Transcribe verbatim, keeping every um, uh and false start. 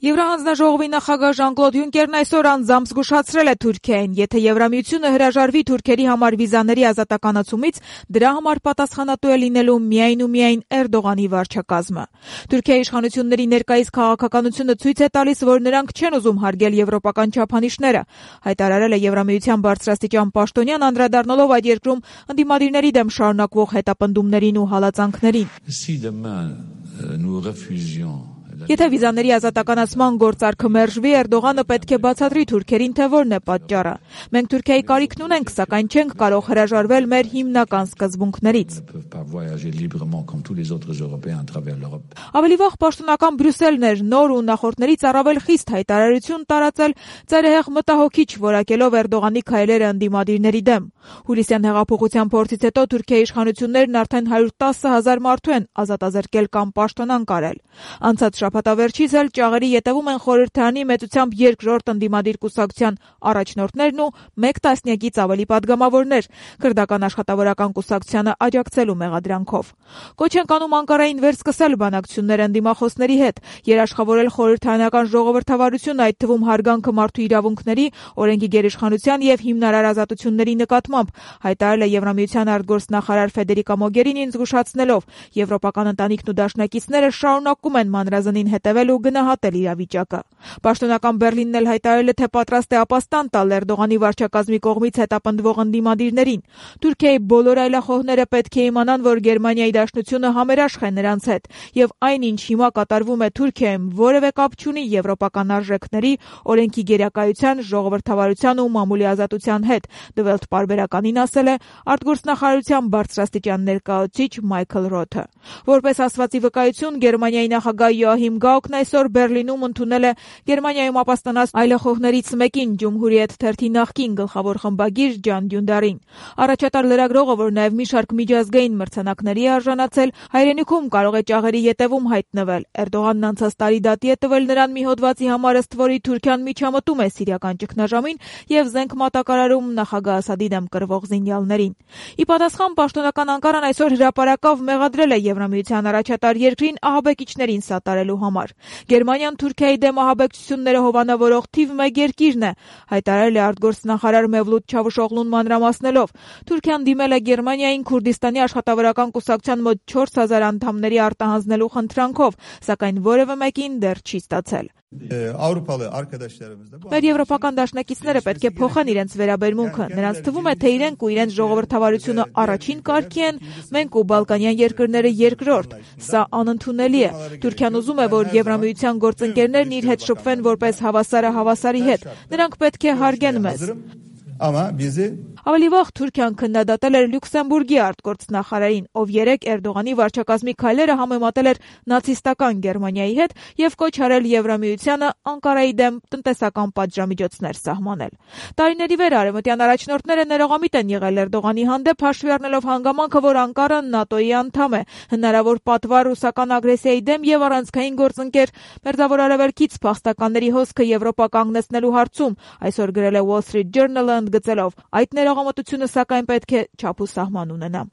Եվրահանձնաժողովի նախագահ Ժան-Կլոդ Յունկերն այսօր անձամբ զգուշացրել է Թուրքիային, եթե Եվրամիությունը հրաժարվի թուրքերի համար վիզաների ազատականացումից, դրա համար պատասխանատու է լինելու միայն ու միայն Էրդողանի վարչակազմը։ Թուրքիայի իշխանությունների ներկայիս քաղաքականությունը ցույց է տալիս, որ նրանք չեն ուզում հարգել եվրոպական չափանիշները, հայտարարել է Եվրամիության բարձրաստիճան պաշտոնյան, անդրադառնալով այդ երկրում ընդդիմադիրների դեմ շարունակվող հետապնդումներին ու հալածանքներին։ Եթե վիզաների ազատականացման գործարքը մերժվի, Էրդողանը պետք է բացատրի թուրքերին, թե որն է պատճառը։ Մենք Թուրքիայի կարիքն ունենք, սակայն չենք կարող հրաժարվել մեր հիմնական սկզբունքներից։ Ավելի վաղ պաշտոնական Բրյուսելն էր նոր ու նախորդներից առավել խիստ հայտարարություն տարածել, ծայրահեղ մտահոգիչ որակելով Էրդողանի քայլերը ընդդիմադիրների դեմ։ Հուլիսյան հեղափոխության փորձից հետո Թուրքիայի իշխանություններն արդեն հարյուր տասը հազար մարդու են ազատազրկել կամ պաշտոնանկ արել։ Անցած շաբաթավերջից էլ ճաղերի ետևում են խորհրդարանի մեծությամբ երկրորդ ընդդիմադիր կուսակցության առաջնորդներն ու մեկ տասնյակից ավելի падգամավորներ քրդական աշխատավորական կուսակցությանը աջակցելու մեղադրանքով։ Կոչ են կանում Անկարային վերսկսել բանակցություններ ընդդիմախոսների հետ, երաշխավորել խորհրդարանական ժողովրդավարություն, այդ թվում հարգանքը մարդու իրավունքների, օրենքի գերիշխանության եւ հիմնարար ազատությունների նկատմամբ, հայտարարել է Եվրամիության արտգործնախարար Ֆեդերիկա Մոգերինին, զգուշացնելով, եվրոպական ընտանիքն ու դաշնակիցները շարունակում են մանրազնին հետևել ու գնահատել իրավիճակը։ Պաշտոնական Բեռլինն էլ հայտարարել է, թե պատրաստ է ապաստան տալ Էրդողանի վարչակազմի կողմից հետապնդվող ընդդիմադիրներին։ Թուրքիայի բոլոր այլախոհները պետք է իմանան, որ Գերմանիայի դաշնությունը համերաշխ է նրանց հետ, եւ այն, ինչ հիմա կատարվում է Թուրքիայում, որևէ կապ չունի եվրոպական արժեքների, օրենքի գերակայության, ժողովրդավարության ու մամուլի ազատության հետ, Դվելթ պարբերականին ասել է արտգործնախարարության բարձրաստիճան ներկայացուցիչ Մայքլ Ռոթը։ Որպես ասվածի վկայություն, Գերմանիայի նախագահ Յոահիմ Գաուկն այսօր Բեռլինում ընդունել է Գերմանիայում ապաստանած այլախոհներից մեկին, Ջումհուրիեթ թերթի նախկին գլխավոր խմբագիր Ջան Դյունդարին։ Առաջատար լրագրողը, որ նաև մի շարք միջազգային մրցանակների է արժանացել, հայրենիքում կարող է ճաղերի ետևում հայտնվել։ Էրդողանն անցած տարի դատի է տվել նրան մի հոդվածի համար, ըստ որի Թուրքիան միջամտում է սիրիական ճգնաժամին եւ զենք մատակարարում նախագահ Ասադի դեմ կռվող զինյալներին։ Ի պատասխան, պաշտոնական Անկարան այսօր հրապարակավ մեղադրել է Եվրամիության առաջատար երկրին ահաբեկիչներին սատարելու համար։ Գերմանիան Թուրքիայի դեմ ահաբեկչությունները հովանավորող թիվ մեկ երկիրն է, հայտարարել է արտգործնախարար Մևլութ Չավուշօղլուն մանրամասնելով։ Թուրքիան դիմել է Գերմանիային Քուրդիստանի աշխատավորական կուսակցության մոտ չորս հազար անդամների արտահանձնելու խնդրանքով, սակայն որևէ մեկին դեռ չի ստացել։ Մեր եվրոպական դաշնակիցները պետք է փոխեն իրենց վերաբերմունքը։ Նրանց թվում է, թե իրենք ու իրենց ժողովրդավարությունը առաջին կարգի են, մենք ու բալկանյան երկրները երկրորդ։ Սա անընդունելի է։ Թուրքիան ուզում է, որ Եվրամիության գործընկերներն իր հետ շփվեն որպես հավասարը հավասարի հետ։ Նրանք պետք է հարգեն մեզ։ Ավելի վաղ Թուրքիան քննադատել էր Լյուքսեմբուրգի արտգործնախարարին, ով երեկ Էրդողանի վարչակազմի քայլերը համեմատել էր նացիստական Գերմանիայի հետ եւ կոչ արել Եվրամիությանը Անկարայի դեմ տնտեսական պատժամիջոցներ սահմանել։ Տարիների վեր արևմտյան առաջնորդները ներողամիտ են եղել Էրդողանի հանդեպ, հաշվի առնելով հանգամանքը, որ Անկարան ՆԱՏՕ-ի անդամ է, հնարավոր պատվար ռուսական ագրեսիայի դեմ եւ առանցքային գործընկեր Մերձավոր Արևելքից փախստականների հոսքը Եվրոպա կանգնեցնելու հարցում, այսօր գրել է Wall Street Journal-ը, ընդգծելով, այդ ներողամտությունը սակայն պետք է չափ ու սահման ունենա։